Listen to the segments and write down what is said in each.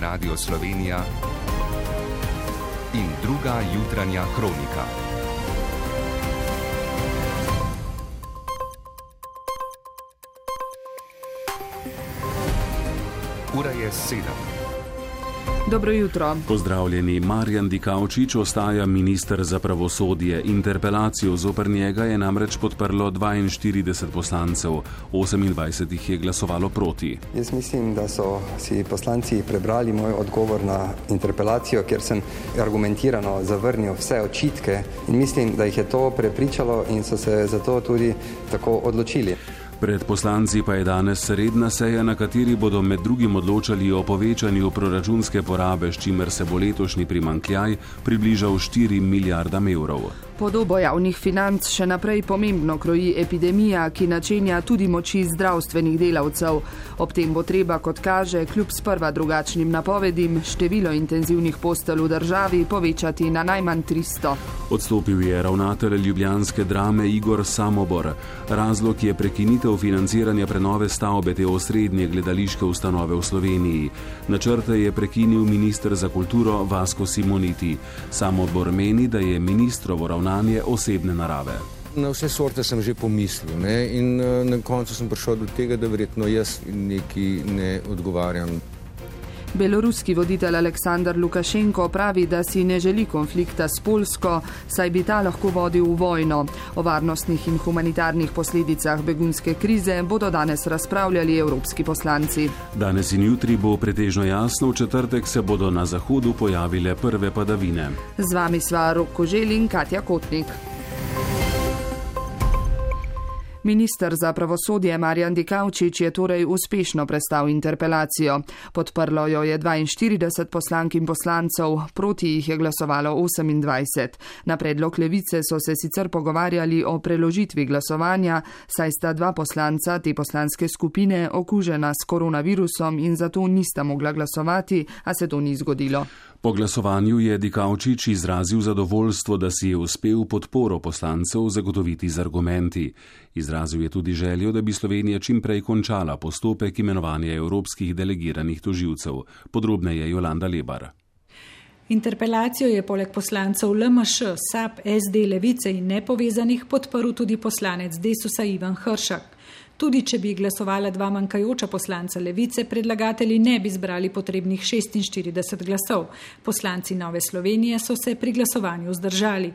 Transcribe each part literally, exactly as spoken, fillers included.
Radio Slovenija in druga jutranja kronika. Ura je sedem. Dobro jutro. Pozdravljeni. Marjan Dikaučič ostaja minister za pravosodje. Interpelacijo zoper njega je namreč podprlo dvainštirideset poslancev, osemindvajset jih je glasovalo proti. Jaz mislim, da so si poslanci prebrali moj odgovor na interpelacijo, kjer sem argumentirano zavrnil vse očitke in mislim, da jih je to prepričalo in so se zato tudi tako odločili. Pred poslanci pa je danes redna seja, na kateri bodo med drugim odločali o povečanju proračunske porabe, s čimer se bo letošnji primanjkljaj približal štirim milijardam evrov. Podobo javnih financ še naprej pomembno kroji epidemija, ki načenja tudi moči zdravstvenih delavcev. Ob tem bo treba, kot kaže, kljub sprva drugačnim napovedim, število intenzivnih postelj v državi povečati na najmanj tristo. Odstopil je ravnatelj ljubljanske Drame Igor Samobor. Razlog je prekinitev financiranja prenove stavbe te osrednje gledališke ustanove v Sloveniji. Načrte je prekinil minister za kulturo Vasko Simoniti. Samobor meni, da je ministrovo ravnanje osebne narave. Na vse sorte sem že pomislil, ne? In na koncu sem prišel do tega, da verjetno jaz neki ne odgovarjam. Beloruski voditelj Aleksandar Lukašenko pravi, da si ne želi konflikta s Poljsko, saj bi ta lahko vodil v vojno. O varnostnih in humanitarnih posledicah begunske krize bodo danes razpravljali evropski poslanci. Danes in jutri bo pretežno jasno, v četrtek se bodo na zahodu pojavile prve padavine. Z vami sva Rok Koželj in Katja Kotnik. Minister za pravosodje Marjan Dikaučič je torej uspešno prestal interpelacijo. Podprlo jo je dvainštirideset poslank in poslancev, proti jih je glasovalo osemindvajset. Na predlog Levice so se sicer pogovarjali o preložitvi glasovanja, saj sta dva poslanca te poslanske skupine okužena s koronavirusom in zato nista mogla glasovati, a se to ni zgodilo. Po glasovanju je Dikaučič izrazil zadovoljstvo, da si je uspel podporo poslancev zagotoviti z argumenti. Izrazil je tudi željo, da bi Slovenija čim prej končala postopek imenovanja evropskih delegiranih tožilcev. Podrobneje Jolanda Lebar. Interpelacijo je poleg poslancev L M Š, S A P, S D, Levice in nepovezanih podprl tudi poslanec Desusa Ivan Hršak. Tudi če bi glasovala dva manjkajoča poslanca Levice, predlagatelji ne bi zbrali potrebnih šestinštirideset glasov. Poslanci Nove Slovenije so se pri glasovanju vzdržali.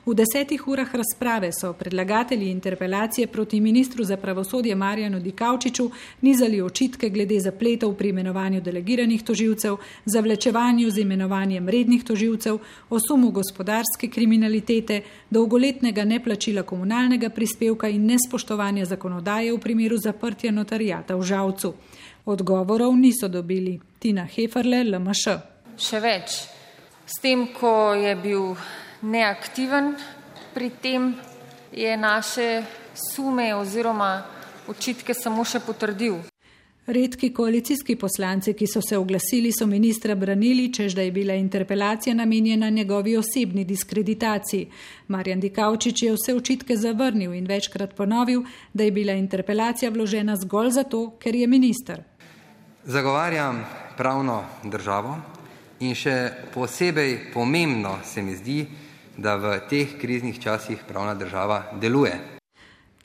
V desetih urah razprave so predlagatelji interpelacije proti ministru za pravosodje Marjanu Dikaučiču nizali očitke glede zapletov pri imenovanju delegiranih tožilcev, zavlečevanju z imenovanjem rednih tožilcev, o sumu gospodarske kriminalitete, dolgoletnega neplačila komunalnega prispevka in nespoštovanja zakonodaje v primeru zaprtja notarijata v Žalcu. Odgovorov niso dobili. Tina Heferle, L M Š. Še več. S tem, ko je bil neaktiven pri tem, je naše sume oziroma očitke samo še potrdil. Redki koalicijski poslanci, ki so se oglasili, so ministra branili, čež da je bila interpelacija namenjena njegovi osebni diskreditaciji. Marjan Dikaučič je vse očitke zavrnil in večkrat ponovil, da je bila interpelacija vložena zgolj zato, ker je minister. Zagovarjam pravno državo in še posebej pomembno se mi zdi, da v teh kriznih časih pravna država deluje.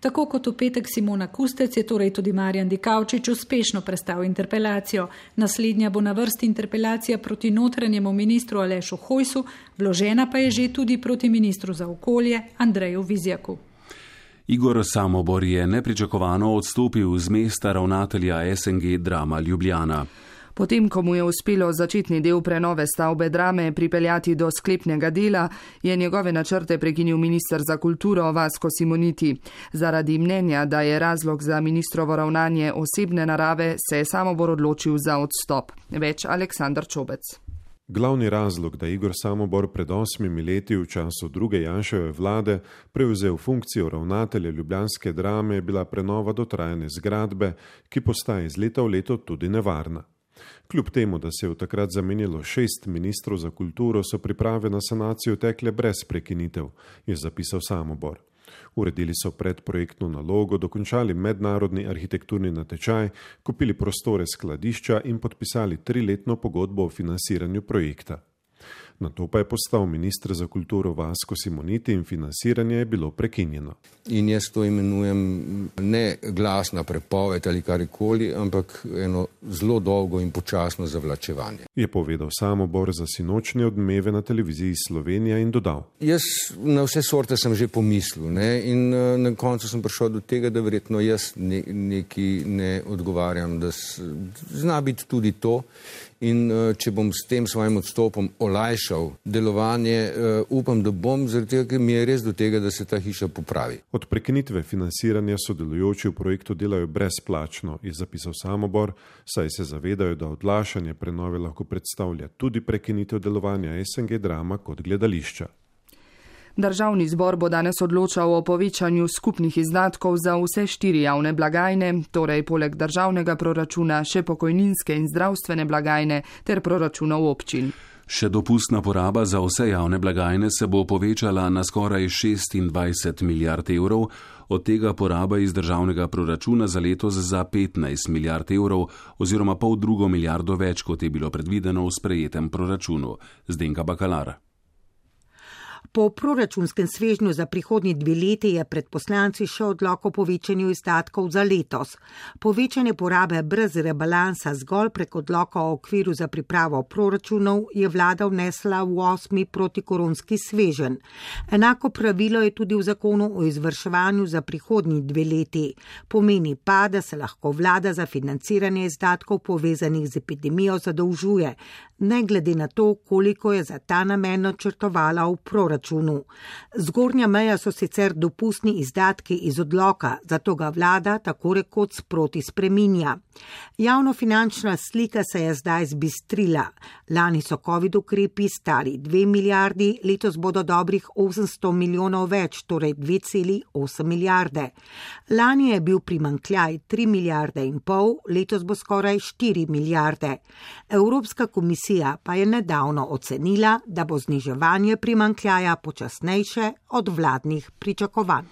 Tako kot v petek Simona Kustec je torej tudi Marjan Dikaučič uspešno prestal interpelacijo. Naslednja bo na vrsti interpelacija proti notranjemu ministru Alešu Hojsu, vložena pa je že tudi proti ministru za okolje Andreju Vizjaku. Igor Samobor je nepričakovano odstopil z mesta ravnatelja S N G Drama Ljubljana. Potem, ko mu je uspelo začetni del prenove stavbe Drame pripeljati do sklepnega dela, je njegove načrte prekinil minister za kulturo Vasko Simoniti. Zaradi mnenja, da je razlog za ministrovo ravnanje osebne narave, se je Samobor odločil za odstop. Več Aleksandar Čobec. Glavni razlog, da Igor Samobor pred osmimi leti v času druge Janševe vlade prevzel funkcijo ravnatelja ljubljanske Drame, je bila prenova dotrajane zgradbe, ki postaja iz leta v leto tudi nevarna. Kljub temu, da se je v takrat zamenjalo šest ministrov za kulturo, so priprave na sanacijo tekle brez prekinitev, je zapisal Samobor. Uredili so predprojektno nalogo, dokončali mednarodni arhitekturni natečaj, kupili prostore skladišča in podpisali triletno pogodbo o financiranju projekta. Nato pa je postal minister za kulturo Vasko Simoniti in financiranje je bilo prekinjeno. In jaz to imenujem ne glasna prepoved ali karkoli, ampak eno zelo dolgo in počasno zavlačevanje. Je povedal Samobor za sinočnje odmeve na televiziji Slovenija in dodal. Jaz na vse sorte sem že pomislil, ne? In na koncu sem prišel do tega, da verjetno jaz ne, neki ne odgovarjam, da s, zna biti tudi to. In če bom s tem svojim odstopom olajšal delovanje, upam, da bom, zaradi tega, ker mi je res do tega, da se ta hiša popravi. Od prekinitve financiranja sodelujoči v projektu delajo brezplačno, je zapisal Samobor, saj se zavedajo, da odlašanje prenove lahko predstavlja tudi prekinitev delovanja S N G Drama kot gledališča. Državni zbor bo danes odločal o povečanju skupnih izdatkov za vse štiri javne blagajne, torej poleg državnega proračuna še pokojninske in zdravstvene blagajne ter proračunov občin. Še dopustna poraba za vse javne blagajne se bo povečala na skoraj šestindvajset milijard evrov, od tega poraba iz državnega proračuna za letos za petnajst milijard evrov oziroma pol drugo milijardo več, kot je bilo predvideno v sprejetem proračunu. Zdenka Bakalar. Po proračunskem svežnju za prihodnji dve leti je pred poslanci še odlok o povečanju izdatkov za letos. Povečanje porabe brez rebalansa zgolj prek odloka o okviru za pripravo proračunov je vlada vnesla v osmi protikoronski sveženj. Enako pravilo je tudi v zakonu o izvrševanju za prihodnji dve leti. Pomeni pa, da se lahko vlada za financiranje izdatkov povezanih z epidemijo zadolžuje, ne glede na to, koliko je za ta namen načrtovala v proračunu. Zgornja meja so sicer dopustni izdatki iz odloka, zato ga vlada tako rekoč sproti spreminja. Javnofinančna slika se je zdaj zbistrila. Lani so covid ukrepi stali dve milijardi, letos bodo dobrih osemsto milijonov več, torej dve celi osem milijarde. Lani je bil primanjkljaj tri milijarde in pol, letos bo skoraj štiri milijarde. Evropska komisija pa je nedavno ocenila, da bo zniževanje primanjkljaja počasnejše od vladnih pričakovanj.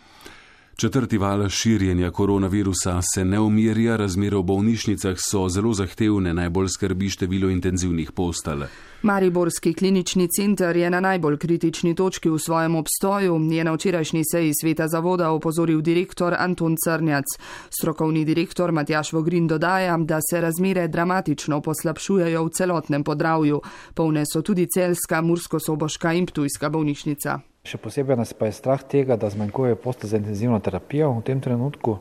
Četrti val širjenja koronavirusa se ne umirja, razmere v bolnišnicah so zelo zahtevne, najbolj skrbi število intenzivnih postelj. Mariborski klinični center je na najbolj kritični točki v svojem obstoju, je na včerajšnji seji sveta zavoda opozoril direktor Anton Crnjac. Strokovni direktor Matjaž Vogrin dodaja, da se razmere dramatično poslabšujejo v celotnem Podravju. Polne so tudi celjska, murskosoboška in ptujska bolnišnica. Še posebej nas pa je strah tega, da zmanjkuje postelj za intenzivno terapijo. V tem trenutku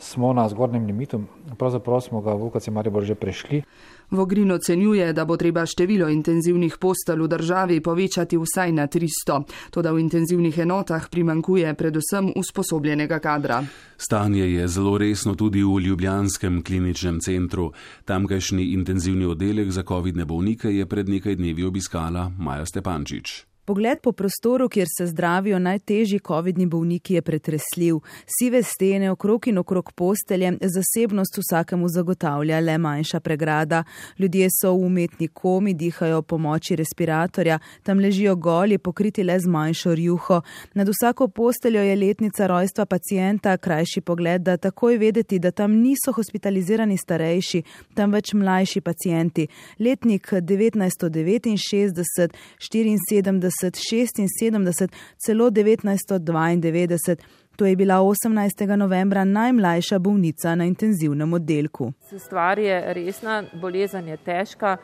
smo na zgornjem limitu, pravzaprav smo ga v U K C Maribor že prešli. Vogrin ocenjuje, da bo treba število intenzivnih postelj v državi povečati vsaj na tristo, toda v intenzivnih enotah primanjkuje predvsem usposobljenega kadra. Stanje je zelo resno tudi v ljubljanskem kliničnem centru. Tamkajšnji intenzivni oddelek za covidne bolnike je pred nekaj dnevi obiskala Maja Stepančič. Pogled po prostoru, kjer se zdravijo najtežji covidni bolniki, je pretresljiv. Sive stene okrog in okrog postelje, zasebnost vsakemu zagotavlja le manjša pregrada. Ljudje so v umetni komi, dihajo pomoči respiratorja, tam ležijo goli, pokriti le z manjšo rjuho. Nad vsako posteljo je letnica rojstva pacienta, krajši pogled, da takoj vedeti, da tam niso hospitalizirani starejši, tam več mlajši pacienti. Letnik devetnajststo devetinšestdeset, štiriinsedemdeset, šestinsedemdeset, celo devetnajststo dvaindevetdeset. To je bila osemnajstega novembra najmlajša bolnica na intenzivnem oddelku. Stvar je resna, bolezen je težka,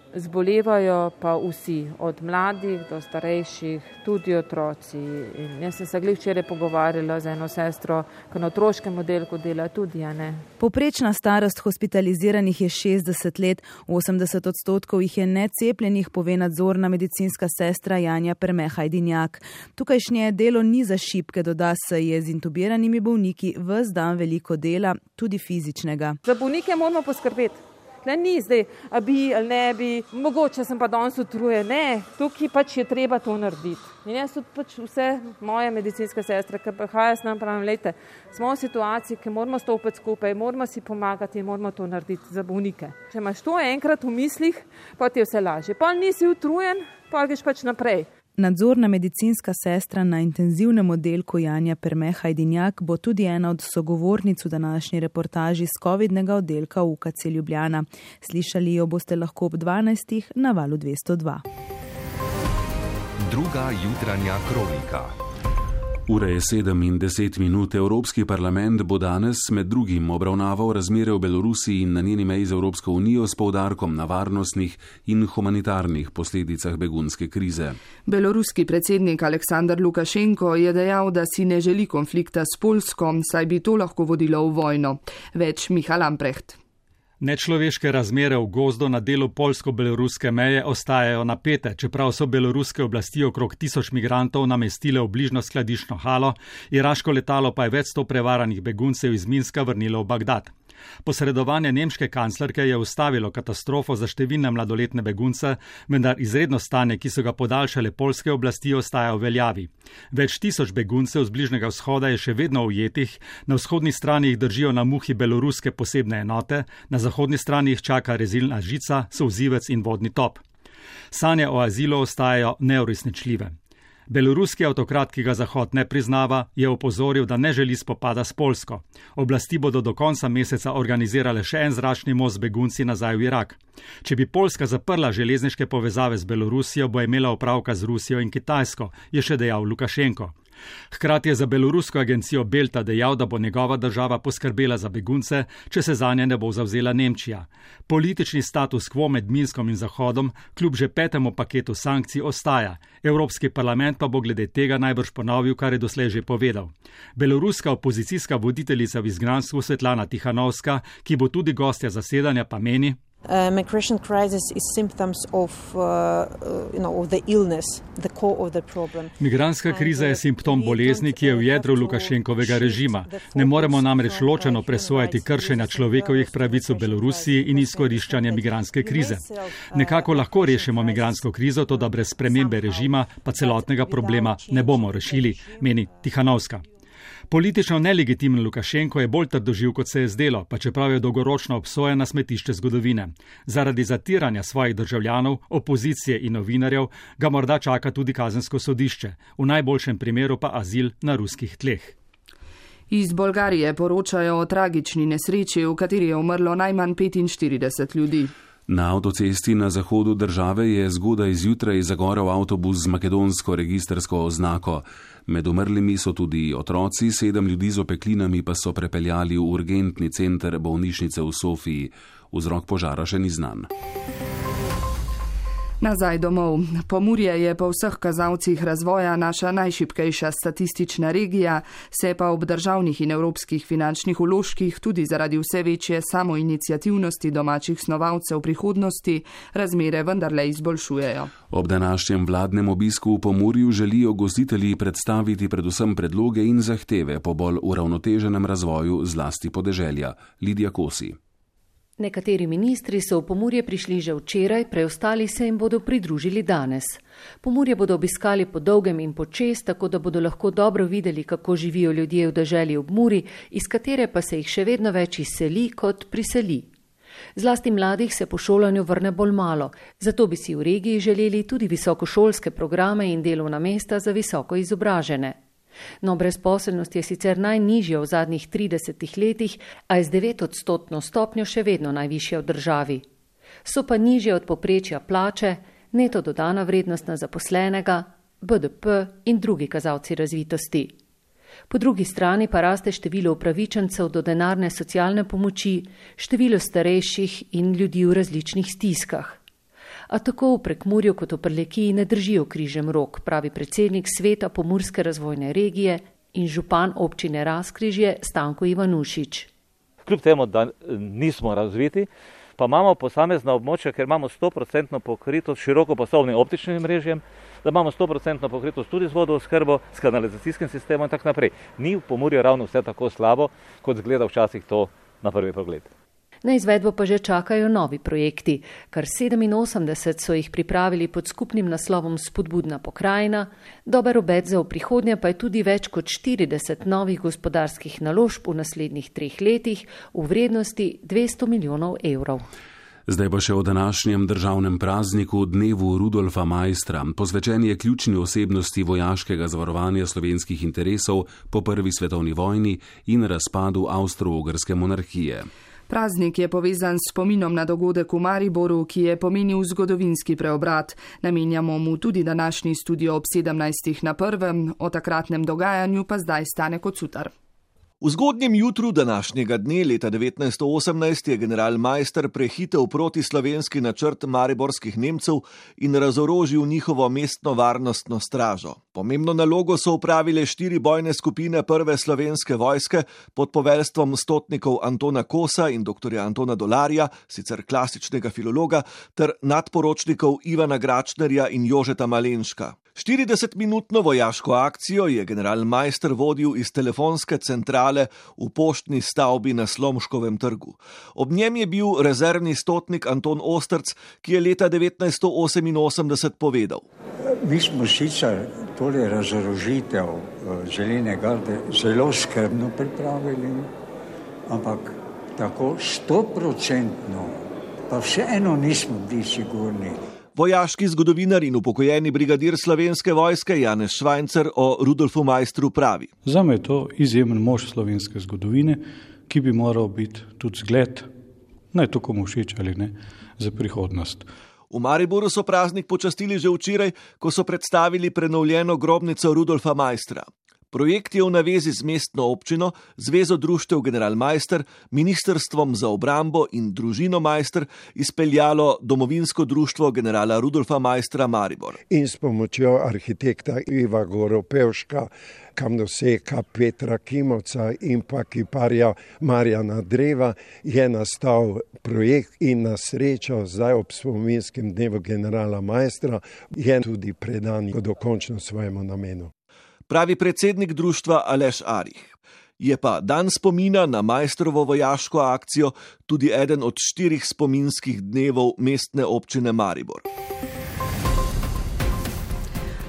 zbolevajo pa vsi, od mladih do starejših, tudi otroci. In jaz sem se glih včeraj pogovarjala z eno sestro, ki na otroškem oddelku dela tudi, a ne. Povprečna starost hospitaliziranih je šestdeset let, osemdeset odstotkov jih je necepljenih, pove nadzorna medicinska sestra Janja Perme-Hajdinjak. Tukajšnje delo ni za šibke, doda se, je z intubiranimi bolniki ves dan veliko dela, tudi fizičnega. Za bolnike moramo poskrbeti. Ne, ni zdaj, a bi ali ne bi, mogoče sem pa danes utrujen. Ne, tukaj pač je treba to narediti. In jaz tudi pač vse moje medicinske sestre, ki prihajajo s nam, pravim, lejte, smo v situaciji, ki moramo stopiti skupaj, moramo si pomagati in moramo to narediti za bolnike. Če imaš to enkrat v mislih, pa ti je vse lažje. Pa nisi utrujen, pa greš pač naprej. Nadzorna medicinska sestra na intenzivnem oddelku Janja Perme Hajdinjak bo tudi ena od sogovornic v današnji reportaži z covidnega oddelka U K C Ljubljana. Slišali jo boste lahko ob dvanajstih na valu dvesto dva. Druga jutranja kronika. Ura je sedem in deset minut. Evropski parlament bo danes med drugim obravnaval razmere v Belorusiji in na njeni meji z Evropsko unijo s poudarkom na varnostnih in humanitarnih posledicah begunske krize. Beloruski predsednik Aleksandar Lukašenko je dejal, da si ne želi konflikta s Poljsko, saj bi to lahko vodilo v vojno. Več Miha Lamprecht. Nečloveške razmere v gozdu na delu poljsko-beloruske meje ostajajo napete, čeprav so beloruske oblasti okrog tisoč migrantov namestile v bližnjo skladiščno halo, iraško letalo pa je več sto prevaranih beguncev iz Minska vrnilo v Bagdad. Posredovanje nemške kanclerke je ustavilo katastrofo za številne mladoletne begunce, vendar izredno stanje, ki so ga podaljšale poljske oblasti, ostaja v veljavi. Več tisoč beguncev z Bližnjega vzhoda je še vedno ujetih, na vzhodni strani jih držijo na muhi beloruske posebne enote, na zahodni strani jih čaka rezilna žica, solzivec in vodni top. Sanje o azilu ostajajo neuresničljive. Beloruski avtokrat, ki ga Zahod ne priznava, je opozoril, da ne želi spopada s Poljsko. Oblasti bodo do konca meseca organizirale še en zračni most z begunci nazaj v Irak. Če bi Poljska zaprla železniške povezave z Belorusijo, bo imela opravka z Rusijo in Kitajsko, je še dejal Lukašenko. Hkrati je za belorusko agencijo Belta dejal, da bo njegova država poskrbela za begunce, če se zanje ne bo zavzela Nemčija. Politični status quo med Minskom in Zahodom kljub že petemu paketu sankcij ostaja. Evropski parlament pa bo glede tega najbrž ponovil, kar je doslej že povedal. Beloruska opozicijska voditeljica v izgnanstvu Svetlana Tihanovska, ki bo tudi gostja zasedanja, pa meni: Uh, migration crisis is symptoms of, uh, you know, of the illness, the core of the problem. Migranska kriza je simptom bolezni, ki je v jedru Lukašenkovega režima. Ne moremo namreč ločeno presojati kršenja človekovih pravic v Belorusiji in izkoriščanja migranske krize. Nekako lahko rešimo migransko krizo, to da brez spremembe režima pa celotnega problema ne bomo rešili, meni Tihanovska. Politično nelegitimen Lukašenko je bolj trdoživ, kot se je zdelo, pa čeprav je dolgoročno obsojen na smetišče zgodovine. Zaradi zatiranja svojih državljanov, opozicije in novinarjev ga morda čaka tudi kazensko sodišče, v najboljšem primeru pa azil na ruskih tleh. Iz Bolgarije poročajo o tragični nesreči, v kateri je umrlo najmanj petinštirideset ljudi. Na avtocesti na zahodu države je zgodaj zjutraj zagorel avtobus z makedonsko registrsko oznako. Med umrlimi so tudi otroci, sedem ljudi z opeklinami pa so prepeljali v urgentni center bolnišnice v Sofiji. Vzrok požara še ni znan. Nazaj domov. Pomurje je po vseh kazalcih razvoja naša najšibkejša statistična regija, se pa ob državnih in evropskih finančnih vložkih tudi zaradi vse večje samoiniciativnosti domačih snovalcev prihodnosti razmere vendarle izboljšujejo. Ob današnjem vladnem obisku v Pomurju želijo gostitelji predstaviti predvsem predloge in zahteve po bolj uravnoteženem razvoju zlasti podeželja. Lidija Kosi. Nekateri ministri so v Pomurje prišli že včeraj, preostali se jim bodo pridružili danes. Pomurje bodo obiskali po dolgem in počez, tako da bodo lahko dobro videli, kako živijo ljudje v deželi ob Muri, iz katere pa se jih še vedno več izseli kot priseli. Zlasti mladih se po šolanju vrne bolj malo, zato bi si v regiji želeli tudi visokošolske programe in delovna mesta za visoko izobražene. No, brezposelnost je sicer najnižja v zadnjih tridesetih letih, a je z devetodstotno stopnjo še vedno najvišja v državi. So pa nižje od povprečja plače, neto dodana vrednost na zaposlenega, B D P in drugi kazalci razvitosti. Po drugi strani pa raste število upravičencev do denarne socialne pomoči, število starejših in ljudi v različnih stiskah. A tako v Prekmurju kot v Prlekiji ne držijo križem rok, pravi predsednik Sveta Pomurske razvojne regije in župan občine Razkrižje Stanko Ivanušič. Kljub temu, da nismo razviti, pa imamo posamezna območja, ker imamo sto procentno pokritost širokopasovnim optičnim mrežjem, da imamo sto procentno pokritost tudi z vodooskrbo, s kanalizacijskim sistemom in tako naprej. Ni v Pomurju ravno vse tako slabo, kot zgleda včasih to na prvi pogled. Na izvedbo pa že čakajo novi projekti. Kar sedeminosemdeset so jih pripravili pod skupnim naslovom Spodbudna pokrajina, dober obet za v prihodnje pa je tudi več kot štirideset novih gospodarskih naložb v naslednjih treh letih v vrednosti dvesto milijonov evrov. Zdaj pa še o današnjem državnem prazniku, dnevu Rudolfa Maistra, posvečen je ključni osebnosti vojaškega zavarovanja slovenskih interesov po prvi svetovni vojni in razpadu Avstro-Ogrske monarhije. Praznik je povezan s spominom na dogodek v Mariboru, ki je pomenil zgodovinski preobrat. Namenjamo mu tudi današnji studio ob sedemnajstih na prvem, o takratnem dogajanju pa zdaj Stane Kocutar. V zgodnjem jutru današnjega dne leta devetnajststo osemnajst je general Maister prehitel proti slovenski načrt mariborskih Nemcev in razorožil njihovo mestno varnostno stražo. Pomembno nalogo so upravile štiri bojne skupine prve slovenske vojske pod poveljstvom stotnikov Antona Kosa in doktorja Antona Dolarja, sicer klasičnega filologa, ter nadporočnikov Ivana Gračnerja in Jožeta Malenška. štiridesetminutno vojaško akcijo je general Maister vodil iz telefonske centrale v poštni stavbi na Slomškovem trgu. Ob njem je bil rezervni stotnik Anton Ostrc, ki je leta devetnajststo oseminosemdeset povedal: Mi smo sicer tole razorožitev Železne garde zelo skrbno pripravili, ampak tako stoprocentno pa vseeno nismo bili sigurni. Vojaški zgodovinar in upokojeni brigadir slovenske vojske Janez Švajncer o Rudolfu Maistru pravi: Zame je to izjemen mož slovenske zgodovine, ki bi moral biti tudi zgled, naj to komu všeč ali ne, za prihodnost. V Mariboru so praznik počastili že včeraj, ko so predstavili prenovljeno grobnico Rudolfa Maistra. Projekt je v navezi z mestno občino, Zvezo društev General Maister, Ministrstvom za obrambo in Družino Maister izpeljalo Domovinsko društvo generala Rudolfa Maistra Maribor. In s pomočjo arhitekta Iva Goropevška, kamnoseka Petra Kimovca in pa kiparja Marjana Dreva je nastal projekt in na srečo zdaj ob spominskem dnevu generala Maistra je tudi predan dokončno svojemu namenu. Pravi predsednik društva Aleš Arih. Je pa dan spomina na Maistrovo vojaško akcijo tudi eden od štirih spominskih dnevov mestne občine Maribor.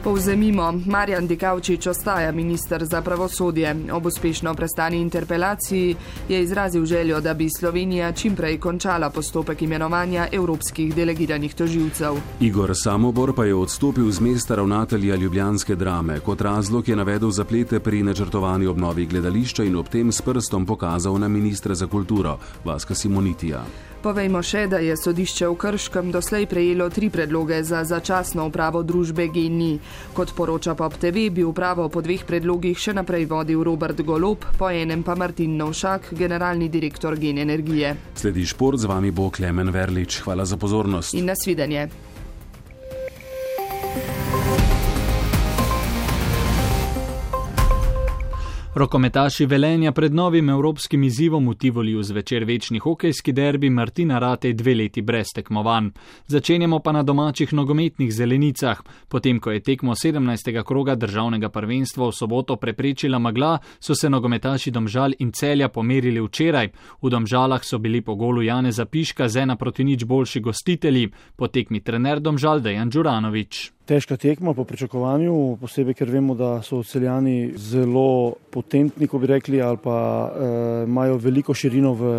Povzemimo, Marjan Dikaučič ostaja minister za pravosodje. Ob uspešno prestani interpelaciji je izrazil željo, da bi Slovenija čimprej končala postopek imenovanja evropskih delegiranih tožilcev. Igor Samobor pa je odstopil z mesta ravnatelja ljubljanske Drame. Kot razlog je navedel zaplete pri načrtovani obnovi gledališča in ob tem s prstom pokazal na ministra za kulturo Vaska Simonitija. Povejmo še, da je sodišče v Krškem doslej prejelo tri predloge za začasno upravo družbe G N I. Kot poroča Pop T V, bi upravo po dveh predlogih še naprej vodil Robert Golob, po enem pa Martin Novšak, generalni direktor Gen Energije. Sledi šport, z vami bo Klemen Verlič. Hvala za pozornost. In nasvidenje. Rokometaši Velenja pred novim evropskim izzivom v Tivoliju zvečer večni hokejski derbi Martina Ratej dve leti brez tekmovanj. Začenjamo pa na domačih nogometnih zelenicah. Potem, ko je tekmo sedemnajstega kroga državnega prvenstva v soboto preprečila megla, so se nogometaši Domžal in Celja pomerili včeraj. V Domžalah so bili po golu Janeza Piška z ena proti nič boljši gostitelji. Po tekmi trener Domžal Dejan Đuranović. Težka tekma po pričakovanju, posebej ker vemo, da so Celjani zelo potentni, ko bi rekli, ali pa eh, imajo veliko širino v,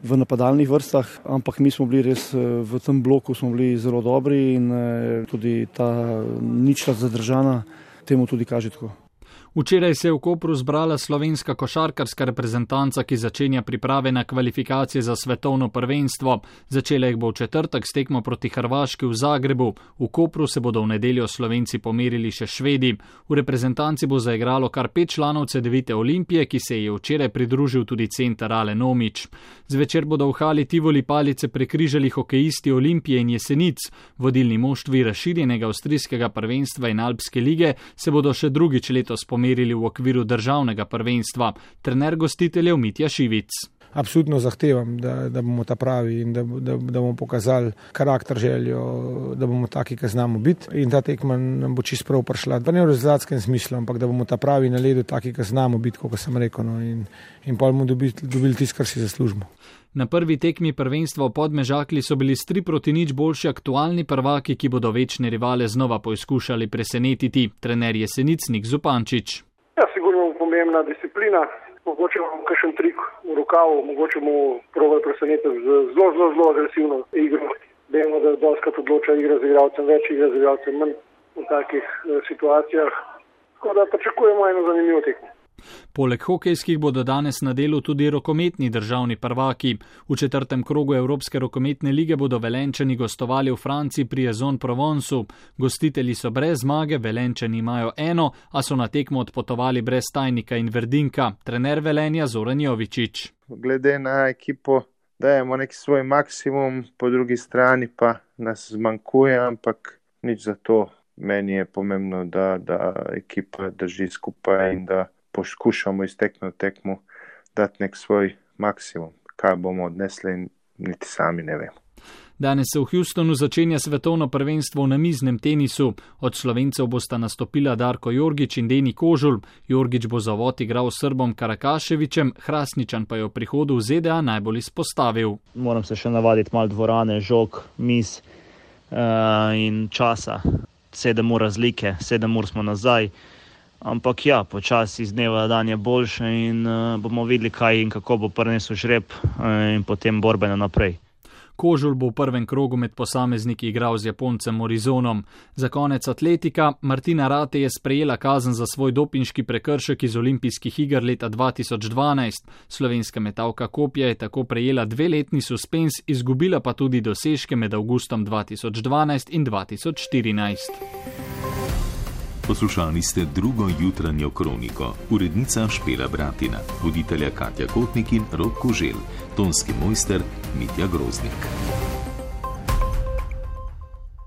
v napadalnih vrstah, ampak mi smo bili res v tem bloku smo bili zelo dobri in eh, tudi ta ničla zadržana temu tudi kaže tako. Včeraj se je v Kopru zbrala slovenska košarkarska reprezentanca, ki začenja priprave na kvalifikacije za svetovno prvenstvo. Začela jih bo v četrtek s tekmo proti Hrvaški v Zagrebu. V Kopru se bodo v nedeljo Slovenci pomerili še Švedi. V reprezentanci bo zaigralo kar pet članov C D V Olimpije, ki se je včeraj pridružil tudi center Alen Omić. Zvečer bodo v hali Tivoli palice prekrižali hokejisti Olimpije in Jesenic. Vodilni moštvi razširjenega avstrijskega prvenstva in Alpske lige se bodo še drugič letos pomerili merili v okviru državnega prvenstva. Trener gostiteljev Mitja Šivic. Absolutno zahtevam, da, da bomo ta pravi in da, da, da bomo pokazali karakter, željo, da bomo taki, ki znamo biti. In ta tekma nam bo čisto prav prišla. Pa ne v rezultatskem smislu, ampak da bomo ta pravi na ledu taki, ki znamo biti, kot sem rekel. No, in, in pa bomo dobili, dobili tisto, kar si zaslužimo. Na prvi tekmi prvenstva v Podmežakli so bili s tri proti nič boljši aktualni prvaki, ki bodo večne rivale znova poizkušali presenetiti. Trener Jesenic Nik Zupančič. Ja, sigurno pomembna disciplina. mogoče imamo kakšen trik v rokavu, mogoče mu probajo presenetiti z zelo, zelo, zelo agresivno igro. Vemo, da dostakrat odloča igra z igralcem, več igra z igralcem manj v takih situacijah. Tako da pričakujemo eno zanimivo tekmo. Poleg hokejskih bodo danes na delu tudi rokometni državni prvaki. V četrtem krogu Evropske rokometne lige bodo Velenčani gostovali v Franciji pri Aix-en-Provencu. Gostitelji so brez zmage, Velenčani imajo eno, a so na tekmo odpotovali brez Tajnika in Verdinka. Trener Velenja Zoran Jovičič. Glede na ekipo dajemo nek svoj maksimum, po drugi strani pa nas zmanjkuje, ampak nič za to. Meni je pomembno, da, da ekipa drži skupaj in da poskušamo iz tekme v tekmu dati nek svoj maksimum. Kaj bomo odnesli, niti sami ne vemo. Danes se v Houstonu začenja svetovno prvenstvo v namiznem tenisu. Od Slovencev bosta nastopila Darko Jorgič in Deni Kožul. Jorgič bo zavod igral s Srbom Karakaševičem, Hrastničan pa je v prihodu v Z D A najbolj izpostavil. Moram se še navaditi malo dvorane, žog, miz uh, in časa. Sedem ur razlike, sedem ur smo nazaj. Ampak ja, počasi iz dneva dan je boljše in uh, bomo videli, kaj in kako bo prinesel žreb uh, in potem borbeno naprej. Kožul bo v prvem krogu med posamezniki igral z Japoncem Morizonom. Za konec atletika, Martina Rate je sprejela kazen za svoj dopinški prekršek iz olimpijskih iger leta dva tisoč dvanajst. Slovenska metalka kopja je tako prejela dveletni suspens, izgubila pa tudi dosežke med avgustom dva tisoč dvanajst in dva tisoč štirinajst. Poslušali ste drugo jutranjo kroniko. Urednica Špela Bratina, voditelja Katja Kotnik in Rok Koželj, tonski mojster Mitja Groznik.